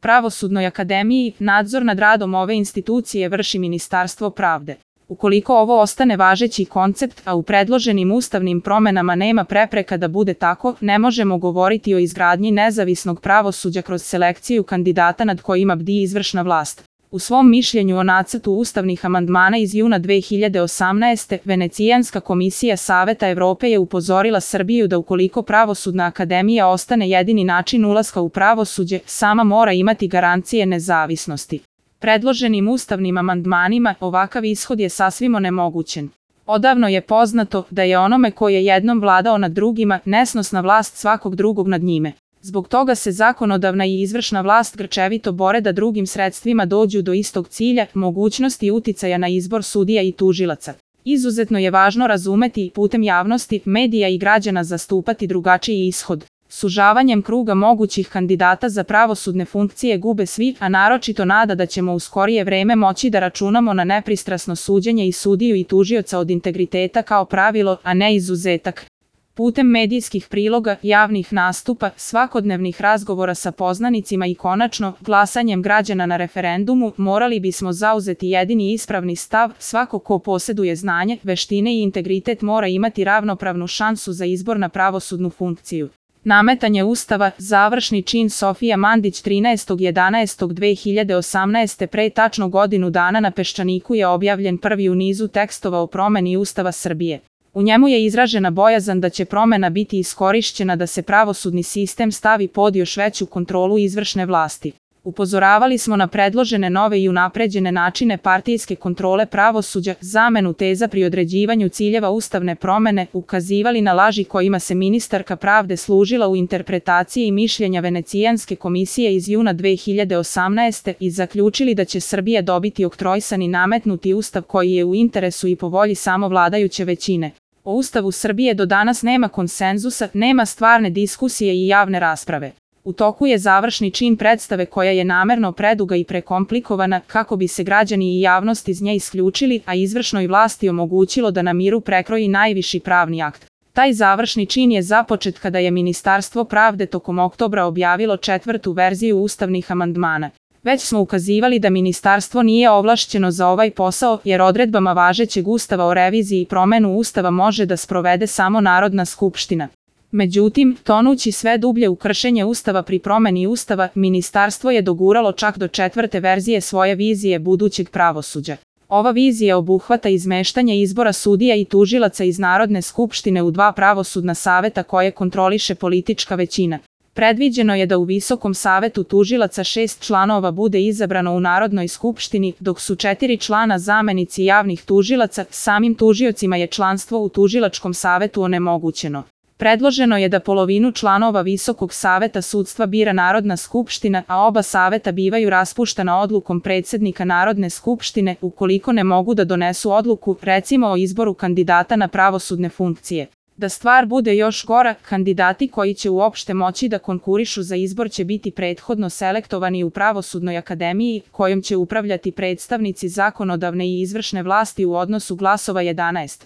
Pravosudnoj akademiji nadzor nad radom ove institucije vrši Ministarstvo pravde. Ukoliko ovo ostane važeći koncept, a u predloženim ustavnim promenama nema prepreka da bude tako, ne možemo govoriti o izgradnji nezavisnog pravosuđa kroz selekciju kandidata nad kojima bdi izvršna vlast. U svom mišljenju o nacrtu ustavnih amandmana iz juna 2018. Venecijanska komisija Saveta Evrope je upozorila Srbiju da ukoliko Pravosudna akademija ostane jedini način ulaska u pravosuđe, sama mora imati garancije nezavisnosti. Predloženim ustavnim amandmanima ovakav ishod je sasvim onemogućen. Odavno je poznato da je onome ko je jednom vladao nad drugima nesnosna vlast svakog drugog nad njime. Zbog toga se zakonodavna i izvršna vlast grčevito bore da drugim sredstvima dođu do istog cilja, mogućnosti uticaja na izbor sudija i tužilaca. Izuzetno je važno razumeti i putem javnosti, medija i građana zastupati drugačiji ishod. Sužavanjem kruga mogućih kandidata za pravosudne funkcije gube svi, a naročito nada da ćemo u skorije vreme moći da računamo na nepristrasno suđenje i sudiju i tužioca od integriteta kao pravilo, a ne izuzetak. Putem medijskih priloga, javnih nastupa, svakodnevnih razgovora sa poznanicima i konačno, glasanjem građana na referendumu, morali bismo zauzeti jedini ispravni stav, svako ko posjeduje znanje, veštine i integritet mora imati ravnopravnu šansu za izbor na pravosudnu funkciju. Nametanje Ustava, završni čin Sofija Mandić 13.11.2018. pre tačno godinu dana na Peščaniku je objavljen prvi u nizu tekstova o promeni Ustava Srbije. U njemu je izražena bojazan da će promena biti iskorišćena da se pravosudni sistem stavi pod još veću kontrolu izvršne vlasti. Upozoravali smo na predložene nove i unapređene načine partijske kontrole pravosuđa, zamenu teza pri određivanju ciljeva ustavne promene, ukazivali na laži kojima se ministarka pravde služila u interpretaciji mišljenja Venecijanske komisije iz juna 2018. i zaključili da će Srbija dobiti oktroisani nametnuti ustav koji je u interesu i po volji samo vladajuće većine. O Ustavu Srbije do danas nema konsenzusa, nema stvarne diskusije i javne rasprave. U toku je završni čin predstave koja je namerno preduga i prekomplikovana kako bi se građani i javnost iz nje isključili, a izvršnoj vlasti omogućilo da na miru prekroji najviši pravni akt. Taj završni čin je započet kada je Ministarstvo pravde tokom oktobra objavilo 4. verziju ustavnih amandmana. Već smo ukazivali da ministarstvo nije ovlašćeno za ovaj posao jer odredbama važećeg Ustava o reviziji i promenu Ustava može da sprovede samo Narodna skupština. Međutim, tonući sve dublje u kršenje Ustava pri promeni Ustava, ministarstvo je doguralo čak do 4. verzije svoje vizije budućeg pravosuđa. Ova vizija obuhvata izmeštanje izbora sudija i tužilaca iz Narodne skupštine u 2 pravosudna saveta koje kontroliše politička većina. Predviđeno je da u Visokom savetu tužilaca 6 članova bude izabrano u Narodnoj skupštini, dok su 4 člana zamenici javnih tužilaca, samim tužiocima je članstvo u Tužilačkom savetu onemogućeno. Predloženo je da polovinu članova Visokog saveta sudstva bira Narodna skupština, a oba saveta bivaju raspuštana odlukom predsjednika Narodne skupštine ukoliko ne mogu da donesu odluku, recimo o izboru kandidata na pravosudne funkcije. Da stvar bude još gora, kandidati koji će uopšte moći da konkurišu za izbor će biti prethodno selektovani u Pravosudnoj akademiji, kojom će upravljati predstavnici zakonodavne i izvršne vlasti u odnosu glasova 11.